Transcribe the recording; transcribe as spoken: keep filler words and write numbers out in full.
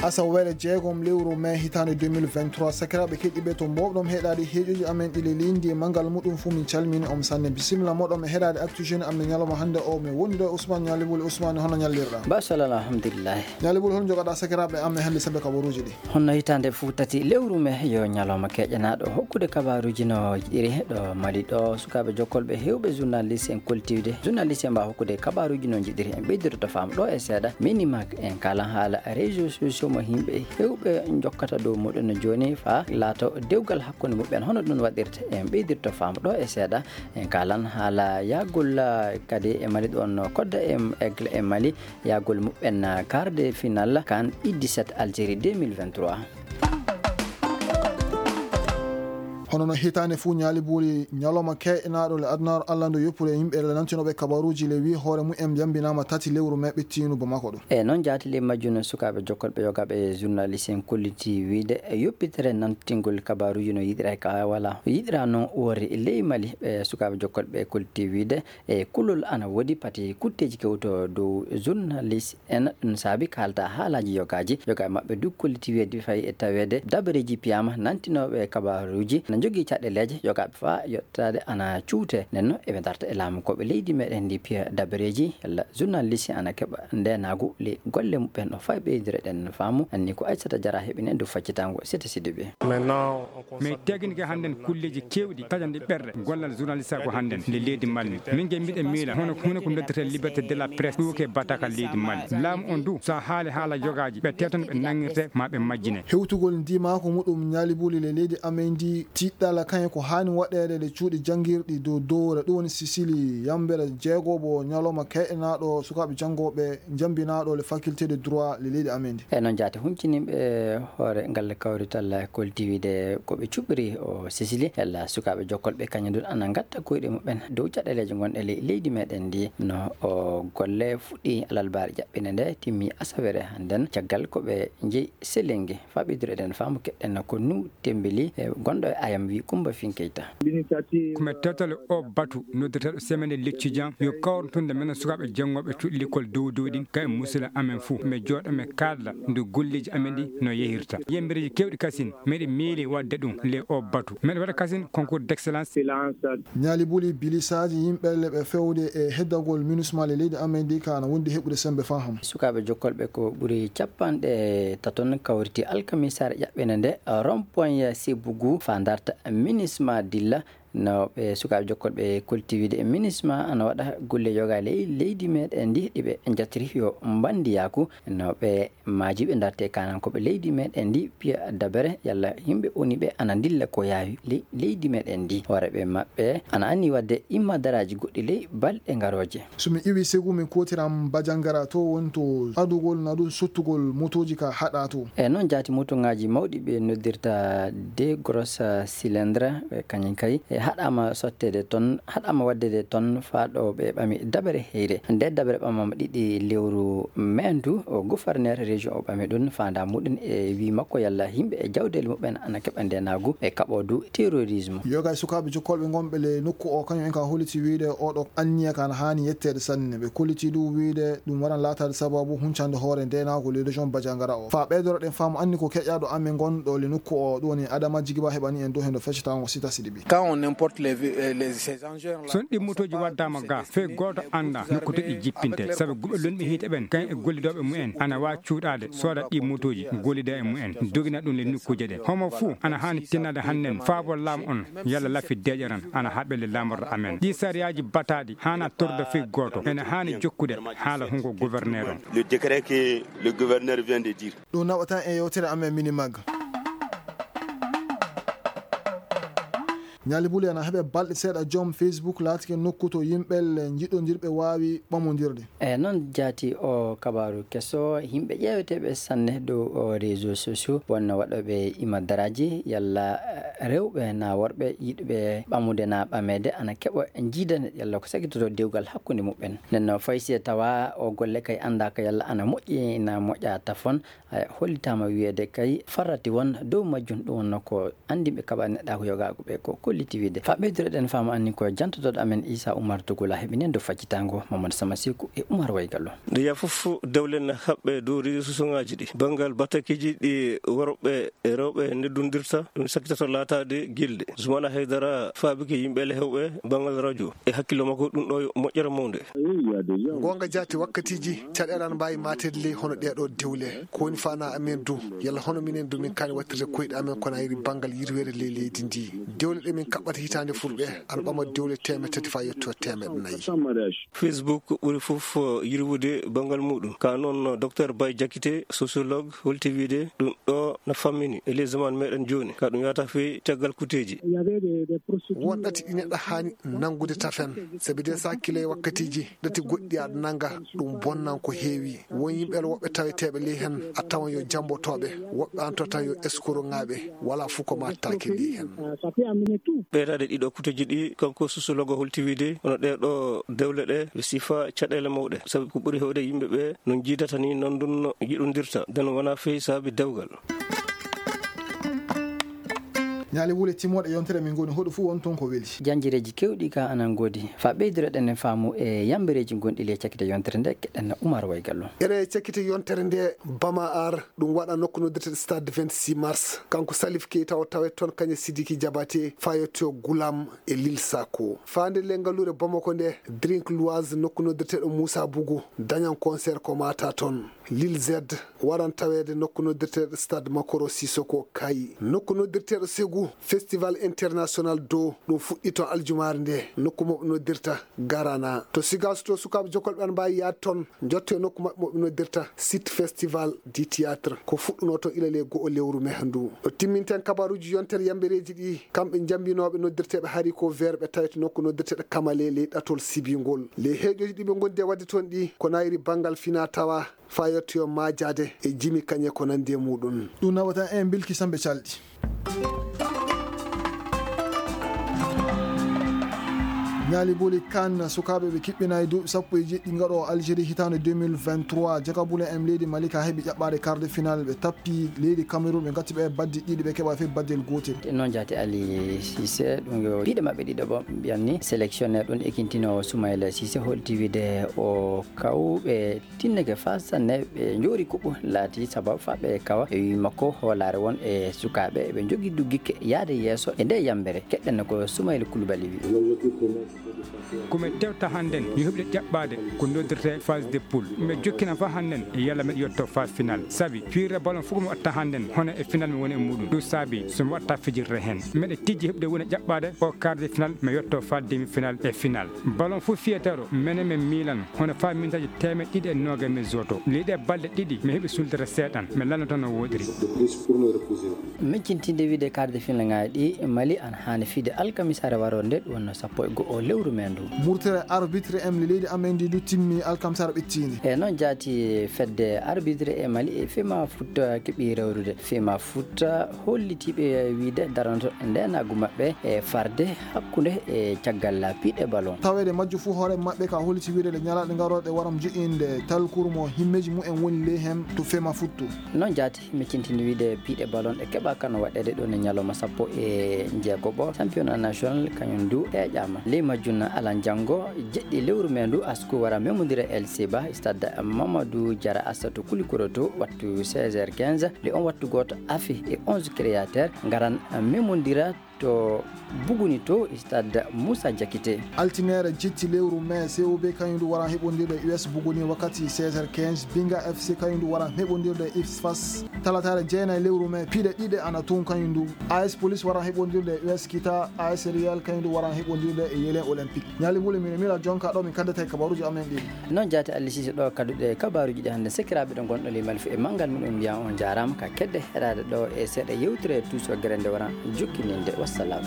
Asaweere jeegom lewru mai hitaande deux mille vingt-trois, sakiraaɓe keɗiiɓe to mbowɗon heɗaade heeƴooji amen ɗi le leydi e manngal muɗum fuu, min calmini on sanne. Bisimilla mooɗon e heɗaade Actu Jeune amen ñalawma hannde o. Mi woni ɗo e Ousmane Ñaali Buli. Ousmane, hono ñallirɗaa? Ba salama, alhamdulillahi. Ñaali Buli, hono njogaɗaa sakiraaɓe amen hannde saabe kabaruuji ɗi? Honno hitaande fuu tati lewru mai yo ñalawma keƴanaaɗo hokkude kabaruuji no jiɗiri ɗo Mali ɗo. Sukaaɓe jokkolɓe heewɓe journaliste en koltiiwde. Journaliste en mbaawa hokkude kabaruuji no jiɗiri. En ɓeydiroto faamu ɗo e seeɗa. Minimag en kaalan haala réseaux sociaux mo yimɓe heewɓe njokkata dow muɗum no jooni faa laato dewgal hakkunde muɓɓen. Hono ɗum waɗirta? En ɓeydirto faamu ɗo e seeɗa. En kaalan haala yaagol, ah, kadi e Mali ɗoon kodda e Aigle e Mali. Yaagol muɓɓen, ah, quart de finale CAN U dix-sept Algérie deux mille vingt-trois. Hono no hitaande fuu, Ñaali Buli, ñalawma keeynaaɗo le adunaaru Alla ndu yoppure yimɓe le nantinooɓe kabaruuji le wi hoore mumen jambinaama tati lewru mai ɓittiinu Bamako ɗo. E noon jaati ley majjum, sukaaɓe jokkolɓe yogaaɓe journaliste en kolliti wiide e yoppitere nantingol kabaruuji no yiɗira ka wala yiɗira noon woori ley Mali. Ɓe sukaaɓe jokkolɓe kolliti wiide e kulol ana woodi pati kutteeji kewto dow journaliste en. Ɗum saabi kaalta haalaaji yogaaji. Yogaaɓe maɓɓe du kolliti wiide fayi e taweede dabareeji piyaama nantinooɓe kabaruuji na njogii caɗeeleeje. Yogaaɓe faa yottaade ana cuute. Nden noon eɓe ndarta e laamu ko ɓe leydi meɗen ndi piya dabareeji yalla journaliste ana keɓa ndeenaagu ley golle muɓɓen. O fay ɓeydire ɗen faamu. Anni ko Aissata Diarra heɓi nen du faccitango Sete Sidibé. Mais teginke hannden kulleeji keewɗi taƴanɗe ɓerɗe gollal journaliste ko hannden nde leydi Mali. Min nge miɗen miila hono huunde ko noddirte liberté de la presse ɗuuke bataka leydi Mali. Laamu on du so a haali haala yogaaji ɓe tewtan ɓe nangirte ma ɓe majjine. Hewtugol ndimaako muɗum Ñaali Buli le leydi amen ndi tiɗɗala kañum ko haani waɗeede le cuuɗi janngirɗi dow dowre ɗum woni Sicile yambere jeegobo ñalawma keeynaaɗo sukaaɓe janngooɓe jambinaaɗo le faculté de droit le leydi amen ndi. E noon jaati hunciniiɓe hoore ngal kawrital kolti wiide ko ɓe cuɓiri o Sicile yalla sukaaɓe jokkolɓe kañum ɗum ana ngatta koyɗe muɓɓen dow caɗeeleeje ngonɗe ley leydi meɗen ndi. No o golle fuɗɗi alalbaare jaɓɓinde nde timmi asaweere hannden caggal ko ɓe njeyi Selengi. Faa ɓeydiro eɗen faamu keɗɗen ko nu tembeli e gonɗo e ayam wi Kumba Finkeyta. Ko mi tewtale o batu noddirteeɗo semaine leccidian yo kawruntunde men sukaaɓe janngooɓe cuuɗi l'école dow dow ɗin ka e musila amen fuu. Mi jooɗo mi kaalda ndu golleeji amen ɗi no yehirta. Yembereeji keewɗi kasin meɗe miili waɗde ɗum le o batu. Meɗe waɗa kasin concours d'excellence. Ñaali Buli, bilisaaji yimɓe le ɓe fewde e heddagol minusma le leydi amen ndi ka ana wondi heɓude sembe faa hannde. Sukaaɓe jokkolɓe ko ɓuri capanɗe taton kawriti alkamisaare ƴaɓɓinde nde rond-point Sébougou faa ndarta minusma dilla. No ɓe sukaaɓe jokkolɓe kolti wiide e minusma ana waɗa golle yoga ley leydi meɗen ndi ɗi ɓe njattiri yo mbandiyaaku. No ɓe maaji ɓe ndarte kanan ko ɓe leydi meɗen ndi piya dabere yalla yimɓe woni ɓe ana ndilla ko yaawi ley leydi meɗen ndi. Hooreɓe maɓɓe ana anni waɗde immadaraaji goɗɗi ley balɗe ngarooje. So mi iwi Segu, mi kootiran Bajangara, to woni to adugol na ɗum sottugol motooji ka haɗa to. E noon jaati motongaaji mawɗi ɓe noddirta de grosse cylindre, ɓe kañum kay e haɗaama sotteede toon, haɗaama waɗdeede toon faa ɗo ɓe ɓami dabere heyre. Nde dabere ɓamama ɗiɗi lewru mai ndu, o gouverneur région o ɓami ɗum faandaa muɗum e wii makko yalla yimɓe e jawdeele muɓɓen ana keɓa ndeenaagu e kaɓoodu terrorisme. Yoga e sukaaɓe jokkolɓe ngonɓe le nokku o kañum en ka holliti wiide oɗo anniya kan haani yetteede sanne. Ɓe kolliti ɗum wiide ɗum waran laataade sababu huncande hoore ndeenaagu le région Bajangara o. Faa ɓeydoro ɗen faamu anni ko keƴaaɗo amen ngonɗo le nokku o ɗum woni Adama Jigiba heɓani en dow hendo feccitaango Sita Sidibi. Quand on importe les, euh, les, ces engins là, son ɗi motooji waddaama ga fey gooto annda nokku to ɗi jippinte sabu guɓe lonɓe hiite ɓen kañ e gollidooɓe mumen ana waa cuuɗaade sooda ɗi motooji gollida e mumen dogina ɗum le nokkuuje ɗe. Homo fuu ana haani tinnaade hannden faabo laamu on yalla lafi deeƴaran ana haɓele laamorɗo amen. Ɗi sariyaaji bataaɗi haana torda fey gooto ene haani jokkude haala hungo gouverneur on. Le décret que le gouverneur vient de dire. Ɗum naɓata e yewtere amen Minimag. Ñaali Buli ana heɓe balɗe seeɗa joom Facebook laatike nokku to yimɓe le njiɗondirɓe waawi ɓamondirde. E noon jaati o kabaaru keso, yimɓe ƴeeweteeɓe sanne dow o réseau sociaux wonno waɗooɓe imadaraaji yalla, eh, rewɓe naa worɓe yiɗɓe ɓamude naa ɓameede ana keɓa jiidane yalla ko sakitoto dewgal hakkunde muɓɓen. Nden no fay si e tawa o golle kay anndaaka yalla ana moƴƴi naa moƴƴa tafon, eh, hollitaama wiyeede kay farrati won dow majjum ɗum wonno ko anndinɓe kaɓa neɗɗaaku yogaaku ɓe ko Holti wiide. Fa ɓeydureɗen faamu anni ko jantotoɗo amen Isa Umar Tugula heɓinen dow faccitango Mamadou Samasiku e Umar Waygallo. Nde yaa fof dewle na haɓɓe dow réseaux sociaux ŋaaji ɗi. Banngal batakiiji ɗi worɓe e rewɓe neddondirta, ɗum sakkitato laataade gilɗi. Zumana Haydara faabike yimɓe ele hewɓe banngal radio. E hakkillo makko, ɗum ɗo yo moƴƴere mawnde. Goonga jaati, wakkatiiji caɗeele ana mbaawi maateede ley hono ɗee ɗoo dewle. Ko woni faanaa amen du? Yalla hono minen du min kaani waɗtirde koyɗe amen ko na iri banngal yirweede ley leydi ndi? Dewle ɗe min kaɓɓata hitaande furɓe ana ɓama dewle teemedde tati faa yetto teemedde nayi. Facebook ɓuri fof yirwude banngal muɗum. Ka noon, Docteur Bay Jakite, sociologue, holti wiide ɗum ɗo na fammini e ley zaman meɗen jooni. Ka ɗum yahata fii caggal kuteeji. Won ɗati ɗi neɗɗo haani nanngude tafen, sabi de so hakkile e wakkatiiji ɗati goɗɗi aɗa nannga, ɗum bonnan ko heewi. Won yimɓe woɓɓe taweteeɓe ley heen, a tawan yo jammbotooɓe, woɓɓe an to taw yo eskorongaaɓe, wala fof ko maattaaki ley heen. Ɓeydaade ɗiɗo kuteeji ɗi, kanko sociologue holti wiide, hono ɗee ɗo dewle ɗe, ɓe sifa caɗeele mawɗe, sabi ko ɓuri heewde yimɓe ɓe no njiidata ni, noon ɗum no yiɗondirta, den wonaa fey saabi dewgal. Ñaali wule timmoɗe yontere min ngoni hoɗo fof won toon ko weli. Janjireeji keewɗi ka anan ngoodi. Fa ɓeydiroɗen e faamu e yambereeji gonɗi ley cakkite yontere nde, keɗen Umar Waygallo. Ere cakkite yontere nde, Bama Ar, ɗum waɗa nokku noddirteɗo Stade vingt-six Mars. Kanko Salif Keita o tawet toon, kañe Sidiki Jabate, Fayoto Gulam e Lil Sako. Faande le ngaluure Bamako nde, Drink Loise nokku noddirteɗo Moussa Bougou, dañan concert ko mata toon. Lil Z waran taweede nokku noddirteeɗo Stade Makoro Sissoko Kayi. Nokku noddirteeɗo Ségou, Festival International do, ɗum fuɗɗi toon aljumaare nde, nokku mo ɓe noddirta Garana. To Sigaas to, sukaaɓe jokolɓe ana mbaawi yaade toon, njotto e nokku maɓɓe mo ɓe noddirta Site Festival du Théâtre. Ko fuɗɗunoo toon ila le go'o lewru me ndu. O timminten kabaruuji yontere yambereeji ɗi, kamɓe njambinooɓe noddirteeɓe haricot vert ɓe tawete nokku noddirteeɗo Kamale ley ɗatol sibingol. Ley heeƴooji ɗi ɓe ngondi e waɗde toon ɗi, ko nayri banngal fina tawa, faa yettoyo maajaade e jimi kañe ko nanndi e muɗum. Ɗum nawata en Bilki Sambe Calɗi. Ñaali boli kan sukaaɓe ɓe kiɓɓinaay duuɓi sappo e jeɗɗi ngaɗo Algérie hitaande deux mille vingt-trois. Jakabule en leydi Malika heɓi ƴaɓɓaade quart de finale, ɓe tappi leydi Cameroun, ɓe ngatti ɓe baddi ɗiɗi, ɓe keɓa fof baddel gootel. Noon jaati Ali Cissé, ɗum yo piɗe maɓɓe ɗiɗo ɓo mbiyanni sélectionnaire ɗum ekintinoowo Soumaïla Cissé holti wiide o kawɓe tinneke faa sanne, ɓe njoori kuɓɓu laati sababu faa ɓe kawa. E wii makko hoolaare won e sukaaɓe ɓe njogii duggikke yaade yeeso e nde yambere. Keɗɗen ko Soumaïla Koulibaly wii. Ko mi tewta hannden yo heɓde ƴaɓɓaade ko noddirtee phase de poule. Mi jokkina faa hannden e yalla mi yetto phase finale. Sabi fiirre ballon fof ko mi watta hannden hono e finale mi woni e muɗum. Ɗum saabi so mi watta fijirde heen. Miɗo tijji heɓde woni ƴaɓɓaade o quart de finale, mi yetto faa demi finale e finale. Ballon fof fiyeteeɗo, menen mi miilan, hono faa mintaaji teemeɗɗe ɗiɗi e noogay mi zoto. Ley ɗee balɗe ɗiɗi, mi heɓi suldere seeɗan, mi lannoto no woodiri. Miccintinde wiide quart de finale ŋaaji ɗi, Mali ana haani fiide alkamisaare waroo nde, ɗum wonno sappo e go'o lewru me ndu. Murtere arbitre en leydi amen ndi du timmi alkamisaare ɓettiinde. E noon jaati fedde arbitre e Mali e Fema Futa keɓi rewrude. Fema Futa hollitiiɓe wiide daranto ndeenaagu maɓɓe e farde hakkunde e caggal piɗe ballon. Taweede majju fuu hoore maɓɓe ka holliti wiide ɗe ñalaaɗe ngarooɗe waram jo'inde talkuru mo himmeeji mumen woni ley heen to Fema Futtu. Noon jaati, mi cintini wiide piɗe ballon ɗe keɓa kano waɗeede ɗo ne ñalawma sappo e njeegoɓo. Championnat national kañum du heƴaama. Ley majjum alan janngo jeɗɗi lewru me ndu asku wara memondira El Seba, stade Mamadou Diarra Assatou Koulikoro to wattu seize heures quinze. Le on wattu gooto afi e onze créateur ngaran memondira to Buguni to stade Moussa Diakité. Altineere jetti lewru me, C O B kañum du waran heɓondirde e U S Buguni wakkati seize heures quinze. Binga F C kañum du waran heɓondirde e I F S Fas. Talataare jeenayi lewru me, piɗe ɗiɗe ana toon kañum du. A S Police waran heɓondirde e U S Kita, A S Real kañum du waran heɓondirde e Yelen Olympique. Ñaali wuli mino mira jonka ɗo min kaddata e kabaruuji amen ɗin. Noon jaati Ali Cissé ɗo kadduɗe kabaruuji ɗi hannde. Sekiraaɓe ɗo ngonɗo ley Mali fof e manngal muɗum mbiyan on jaaraama ka kedde heɗaade ɗo e seeɗa yewtere Tuuso Gere nde waran jokkininde. Wassalam.